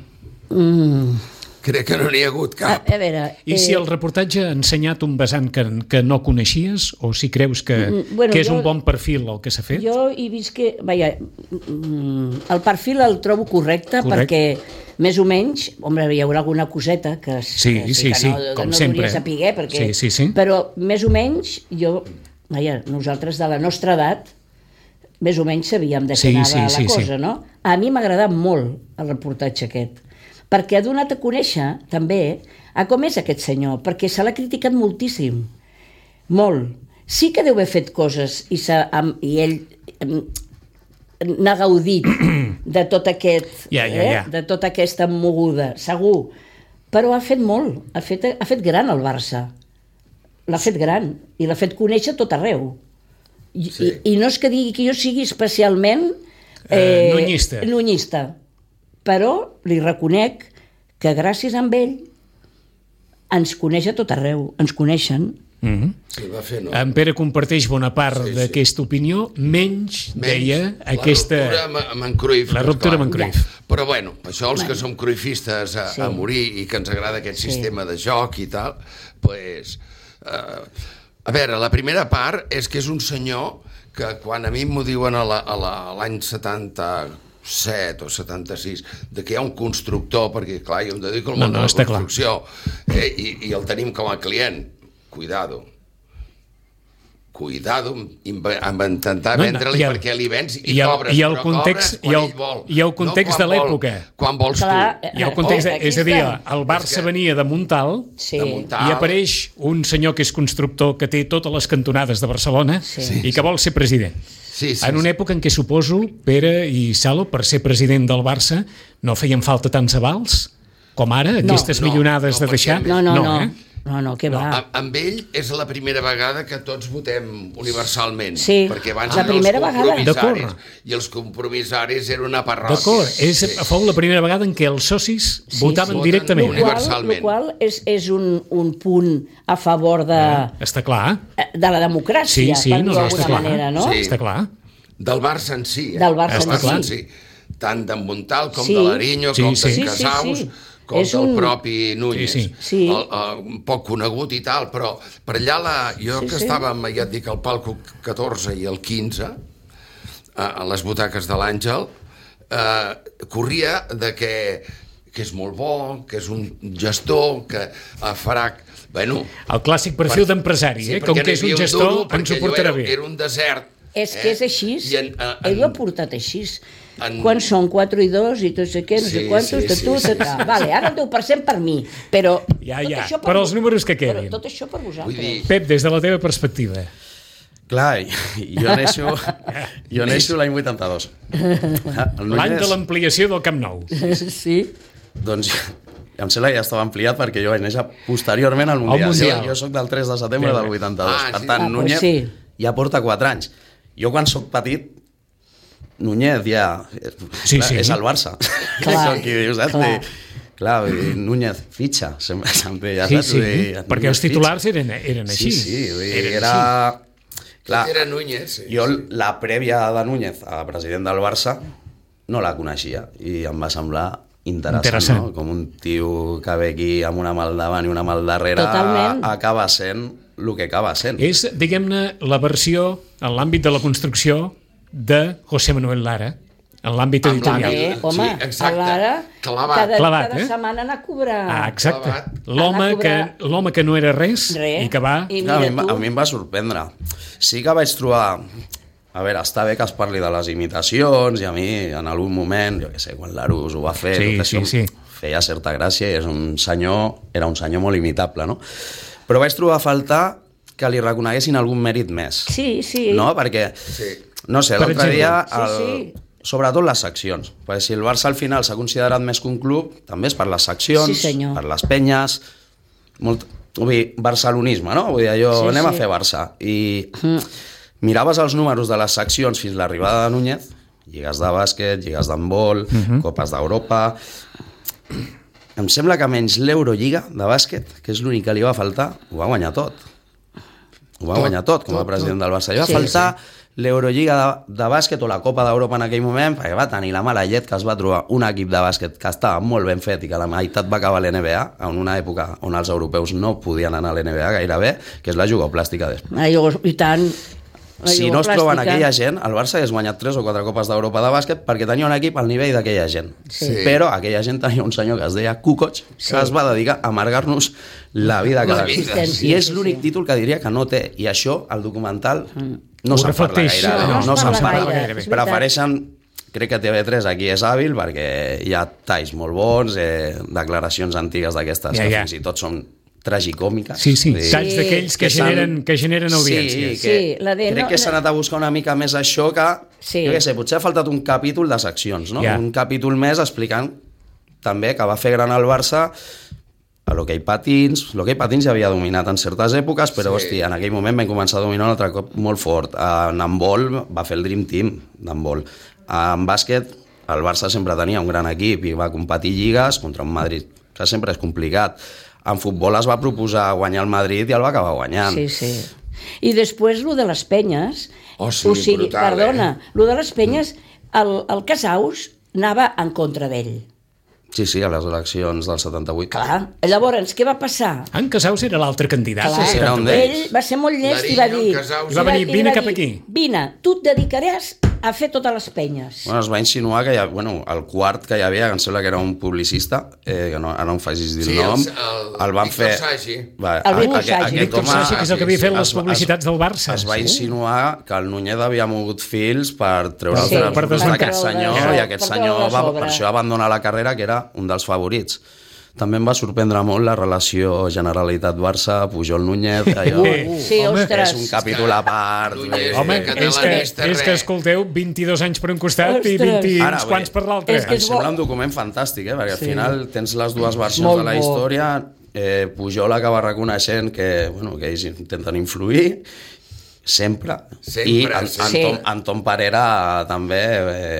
Mm, Crec que no n'hi ha hagut a, cap. a veure... I si el reportatge ha ensenyat un vessant que, que no coneixies, o si creus que, Mm, bueno, que és jo- un bon perfil el que s'ha fet? Jo he vist que... Vaja, mm, el perfil el trobo correcte, Correcte. perquè més o menys, home, hi haurà alguna coseta que, Sí, que sí, que sí, no, com no sempre. hauria saber, perquè, Sí, sí, sí. però més o menys jo, vaja, nosaltres de la nostra edat més o menys sabíem de què Sí, anava sí, la sí, sí. cosa, no? A mi m'ha agradat molt el reportatge aquest, perquè ha donat a conèixer també a com és aquest senyor, perquè se l'ha criticat moltíssim, molt. Sí que deu haver fet coses i, am, i ell em, n'ha gaudit de tot aquest, Ja, ja, eh? ja. de tota aquesta moguda, segur. Però ha fet molt, ha fet, ha fet gran el Barça. L'ha fet gran i l'ha fet conèixer tot arreu. I, Sí. i, i no és que digui que jo sigui especialment Eh, nunyista. nunyista, però li reconec que gràcies a ell ens coneix a tot arreu, ens coneixen. Mm-hmm. Sí, va fer, no? En Pere comparteix bona part Sí, sí. d'aquesta opinió, menys, Menys deia, la aquesta... ruptura amb, amb en Cruyff. La és ruptura clar. amb en Cruyff. Però bueno, això els que som cruifistes a, Sí. a morir i que ens agrada aquest Sí. sistema de joc i tal, pues, eh, a veure, la primera part és que és un senyor que quan a mi m'ho diuen a la- a la- a l'any setanta-set o setanta-sis, de que hi ha un constructor, perquè clar, jo em dedico al No, món no, de la està clar. construcció, eh, i, i el tenim com a client. Cuidado. Cuidado amb, amb intentar No, no, vendre-li i el- perquè li vens i, i el- cobres, i el però context- cobres quan i el- ell vol. i el context quan de vol, l'època. Quan vols Clar, tu. I el context, Oh, aquí és a dir, està. el Barça És que- venia de Montal Sí. De muntar. i apareix un senyor que és constructor que té totes les cantonades de Barcelona Sí. i que vol ser president. Sí, sí, En una època en què suposo, Pere i Salo, per ser president del Barça, no feien falta tants avals com ara, aquestes no, millonades no, de deixar. perquè- No, no, no. eh? No, no, què No, va. amb, amb ell és la primera vegada que tots votem universalment. Sí, perquè abans la eren primera els vegada. compromissaris, D'acord. i els compromissaris era una parròquia. D'acord, és, fou la primera vegada en què els socis Sí, votaven sí. directament. Voten Eh? Qual, universalment. el qual és, és un, un punt a favor de, Està clar. de la democràcia, Sí, sí, per no, dir-ho no, d'alguna està clar. manera, no? Sí. Està clar. Del Barça en si. Eh? Del Barça en Barça si. en si. Tant d'en Montal com Sí. de l'Ariño, Sí, com sí. d'en Sí, sí, Casaus, sí. com És del un- propi Núñez. Sí, sí. Sí. El, el, poc conegut i tal, però per allà, la, jo Sí, que sí. estàvem, ja et dic, al palco catorze i el quinze, a, a les butaques de l'Àngel, eh, corria de que, que és molt bo, que és un gestor, que eh, farà... Bueno, El clàssic perfil d'empresari, eh? Com perquè que és no hi un havia gestor, duro, ens perquè ho allò portarà era, bé. Era un desert. És que és així. I en, en, Ell ho ha portat així. en- Quan són quatre i dos i tot sé què, no sé Sí, quantos, sí, de sí, tu, sí, de tu. Vale, ara el deu per cent per mi, però... Ja, tot ja, això per als vo- números que quedin. Però tot això per vosaltres. Vull dir, Pep, des de la teva perspectiva. Clar, i- jo neixo, jo neixo l'any vuitanta-dos. L'any de l'ampliació del Camp Nou. Sí. Doncs em sembla que ja estava ampliat perquè jo vaig néixer posteriorment al Mundial. Mundial. Jo, jo soc del tres de setembre Bé, del bé. vuitanta-dos. Ah, per sí. tant, Ah, pues Núñez sí. ja porta quatre anys. Jo quan sóc petit, Núñez ja... Sí, clar, sí. És el Barça. Clar, Com qui dius, saps? clar. I, clar, vull dir, Núñez fitxa, sempre, sempre ja Sí, saps? sí, Vull dir, perquè Núñez els titulars eren, eren fitxa. així. Sí, sí, vull dir, Eren era... Clar, era Núñez, sí. jo la prèvia de Núñez a president del Barça no la coneixia i em va semblar interessant, Interessant. no? Com un tio que ve aquí amb una mà al davant i una mà al darrere Totalment. acaba sent el que acaba sent. És, diguem-ne, la versió, en l'àmbit de la construcció, de José Manuel Lara, en l'àmbit Amb editorial. l'àmbit- Eh, home, Sí, exacte. a l'ara, Clavat. cada, Clavat, cada eh? setmana anar a cobrar. Ah, exacte. Clavat. L'home Anar a que, cobrar- l'home que no era res, Res. i que va... I Clar, a, mi, mira em va- tu. a mi em va sorprendre. Sí que vaig trobar a veure, està bé que es parli de les imitacions, i a mi, en algun moment, jo què sé, quan l'Arús ho va fer, Sí, tot això, sí, sí. feia certa gràcia, i és un senyor, era un senyor molt imitable, no? Però vaig trobar a faltar que li reconeguessin algun mèrit més. Sí, sí. No? Perquè, Sí. no sé, Per l'altre exemple. dia... Sí, El... sí. Sobretot les seccions, perquè si el Barça al final s'ha considerat més que un club, també és per les seccions, Sí, senyor. per les penyes, molt, vull dir, barcelonisme, no? Vull dir, allò, Sí, anem sí. a fer Barça. I miraves els números de les seccions fins l'arribada de Núñez, lligues de bàsquet, lligues d'handbol, copes d'Europa... Em sembla que menys l'Eurolliga de bàsquet, que és l'únic que li va faltar, ho va guanyar tot. Ho va Tot, guanyar tot, com a tot, president tot. del Barça. Li va Sí, faltar l'Eurolliga de, de bàsquet o la Copa d'Europa en aquell moment, perquè va tenir la mala llet que es va trobar un equip de bàsquet que estava molt ben fet i que la meitat va acabar a l'N B A, en una època on els europeus no podien anar a l'N B A gairebé, que és la jugoplàstica d'Espanya. Ai, I tant. La Si no es troben jugoplàstica. aquella gent, el Barça hagués guanyat tres o quatre copes d'Europa de bàsquet perquè tenia un equip al nivell d'aquella gent. Sí. Però aquella gent tenia un senyor que es deia Kukoc, que Sí. es va dedicar a amargar-nos la vida cada La vida, dia. sí, I és sí, l'únic sí. títol que diria que no té. I això, el documental, no Ho se'n parla reflecteix. gaire. No, no no es se'n parla parla gaire, gaire. és veritat. Prefereixen... Crec que T V tres aquí és hàbil perquè hi ha talls molt bons, eh, declaracions antigues d'aquestes Ja, que ja. fins i tot són tragicòmiques. Sí, sí, Vull dir, talls d'aquells que, que s'han- generen, que generen audiències. Sí, que Sí, la de crec no- que s'ha anat a buscar una mica més això que, Sí. jo què sé, potser ha faltat un capítol de seccions, no? Ja. Un capítol més explicant també que va fer gran el Barça a l'hoquei patins. L'hoquei patins ja havia dominat en certes èpoques, però, Sí. hòstia, en aquell moment vam començar a dominar un altre cop molt fort. En handbol va fer el Dream Team d'handbol. En bàsquet, el Barça sempre tenia un gran equip i va competir lligues contra un Madrid, que sempre és complicat. En futbol es va proposar guanyar el Madrid i el va acabar guanyant. Sí, sí. I després, lo de les penyes... Oh, sí, o sigui, brutal, perdona, eh? lo de les penyes, el, el Casaus anava en contra d'ell. Sí, sí, a les eleccions del setanta-vuit. Clar. Llavors, què va passar? En Casaus era l'altre candidat. Clar, sí, era un ell d'ells. va ser molt llest i va Nariño, dir... Casaus. I va venir, i vine va cap dir, aquí. Vine, tu et dedicaràs a fer totes les penyes. Bueno, es va insinuar que hi ha, bueno, el quart que hi havia, que em sembla que era un publicista, eh, que no, ara no em facis dir Sí, el nom, el- el el van Víctor fer... Sagi. Va, El Víctor aquest- Sagi. aquest Víctor home Sagi, que és el que havia fet les es va- publicitats del Barça. Es va Sí. insinuar que el Núñez havia mogut fils per treure Sí, el per pressupost d'aquest treure- senyor, per i aquest treure senyor la va, sobre. per això va abandonar la carrera, que era un dels favorits. També em va sorprendre molt la relació Generalitat-Barça, Pujol-Núñez, allò... Uh, Sí, home, ostres. És un capítol a part. Núñez, vull Home, dir, que és que, catalanista, és que res. escolteu, vint-i-dos anys per un costat i Ostres. vint i Ara, uns vull quants dir, per l'altre. és que Em és sembla bo. un document fantàstic, eh? perquè al Sí. final tens les dues versions Molt de la bo. història. Eh, Pujol acaba reconeixent que, bueno, que ells intenten influir sempre, Sempre, i en, sí. Anton, Anton Parera també,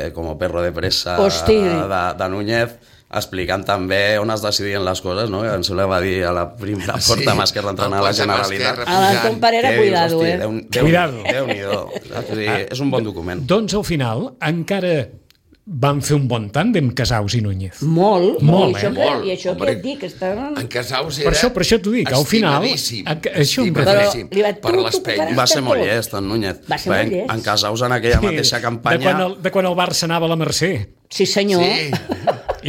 eh, com a perro de pressa Hosti. de, de Núñez, explicant també on es decidien les coses, no? Que em sembla que va dir a la primera porta amb Esquerra entrant a la Generalitat. A l'Anton Parera, Que dius, cuidado, hosti, eh? Déu, Déu, Cuidado. Déu-n'hi-do. Saps? Vull dir, És un bon document. Doncs al final encara van fer un bon tàndem Casaus i Núñez. Molt, Molt, molt, eh? això que, Molt. I això Hombre, que et dic, estaven... En Casaus Per era això, per això t'ho dic, al final... estimadíssim, a- això em Però estimadíssim li va- per tu- les tu penyes. Va ser molt tot. llest, en Núñez. Va ser molt En- llest. En Casaus, en aquella mateixa De campanya... quan, el, de quan el Barça anava a la Mercè Sí, senyor. Sí,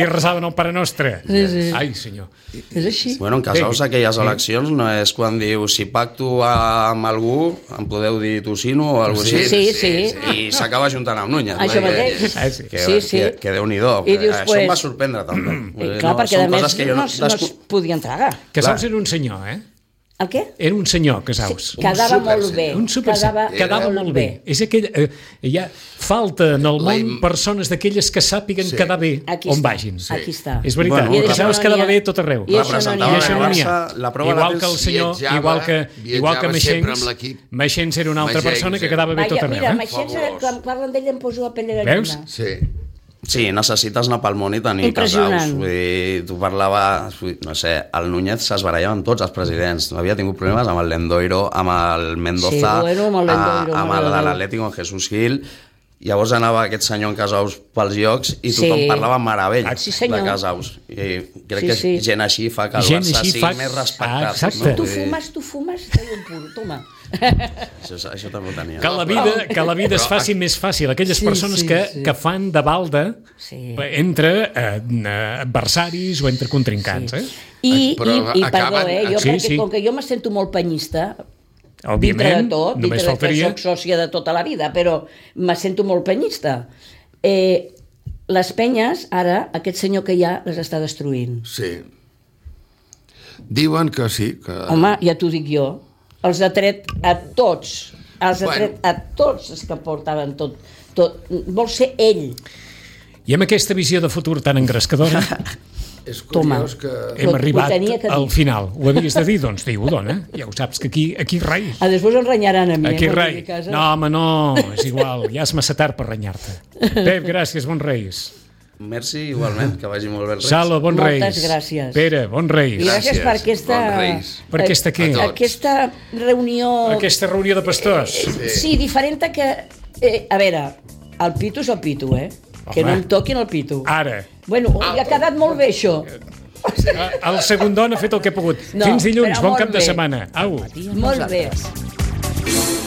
i resaven el Pare Nostre. Sí, sí. Ai, senyor. És així. Bueno, en Casaus, Bé. aquelles eleccions no és quan diu si pacto amb algú, em podeu dir Tocino o alguna cosa Sí, així. sí. I s'acaba juntant amb Núñez. Això no? mateix. Ah, sí. Que, Sí, sí. que, que Déu-n'hi-do. I dius, Això pues- em va sorprendre també. I clar, perquè són a més coses que jo no, no, es desco- podien tragar. Casaus Clar. era un senyor, eh? El què? Era un senyor, Casaus. Quedava super molt bé. Un super... Quedava, Quedava molt bé. És aquell... Eh, hi ha falta en el La món im- persones d'aquelles que sàpiguen Sí. quedar bé Aquí on està. vagin. Aquí està. És veritat. Bueno, I I Casaus d'això no quedava n'hi ha- bé tot arreu. I això no n'hi ha. I això no n'hi ha. Barça, la prova Igual la que el tens- senyor, Viatjava- igual que, igual que viatjava sempre Meixens, amb l'equip. Meixens era una altra Meixens, persona que eh? quedava bé tot Vaja, arreu. mira, eh? Meixens, Fabulós. quan parlen d'ell em poso la pell de gallina. Veus? sí. Sí, necessites anar pel món i tenir Impressionant. Casaus. Vull dir, tu parlaves, vull dir, no sé, el Núñez s'esbarallava amb tots els presidents. Havia tingut problemes amb el Lendoiro, amb el Mendoza, Sí, bueno, amb el Lendoiro, a- amb el mare de de Déu. l'Atlético, en Jesús Gil. Llavors anava aquest senyor en Casaus pels llocs i tothom Sí. parlava amb meravella Sí, senyor. de Casaus. I crec Sí, que sí. gent així fa que el Gent Barça així sigui fa- més respectat. Ah, exacte. Tu Vull dir, fumes, tu fumes, te un puro, toma. Això, això també ho tenia. Que la vida, que la vida es faci més fàcil. Aquelles Sí, persones sí, que, sí. que fan de balda Sí. entre eh, adversaris o entre contrincants. Eh? I, Però i, i acaben- perdó, eh? Jo, Sí, perquè sí. com que jo me sento molt penyista, Òbviament, dintre de tot, només dintre faltaria... que soc sòcia de tota la vida, però me sento molt penyista. Eh, les penyes, ara, aquest senyor que hi ha, les està destruint. Sí. Diuen que sí. Que... Home, ja t'ho dic jo. Els ha tret a tots. Els ha Bueno. tret a tots els que portaven tot. tot. Vol ser ell. I amb aquesta visió de futur tan engrescadora És Toma. curiós que... hem Ho- ho arribat tenia que dir. al final. Ho havies de dir? Doncs diu, dona. Ja ho saps, que aquí, aquí res. Ah, després em renyaran a mi. Aquí eh, quan res. vingui a casa. No, home, no, és igual. Ja és massa tard per renyar-te. Pep, gràcies, bons Reis. Merci, igualment, que vagi molt bé el Reis. Salo, bons Moltes Reis. gràcies. Pere, bons Reis. I gràcies Gràcies, per aquesta... bons Reis. Per aquesta què? A tots. Aquesta reunió... Aquesta reunió de pastors. Sí, diferent a que... Eh, a veure, el pito és el pito, eh? Que Home. no em toquin el pito. Ara. Bueno, li ha quedat molt bé, això. El segon don ha fet el que ha pogut. No, Fins dilluns, però bon molt cap de bé. setmana. Au. Molt bé.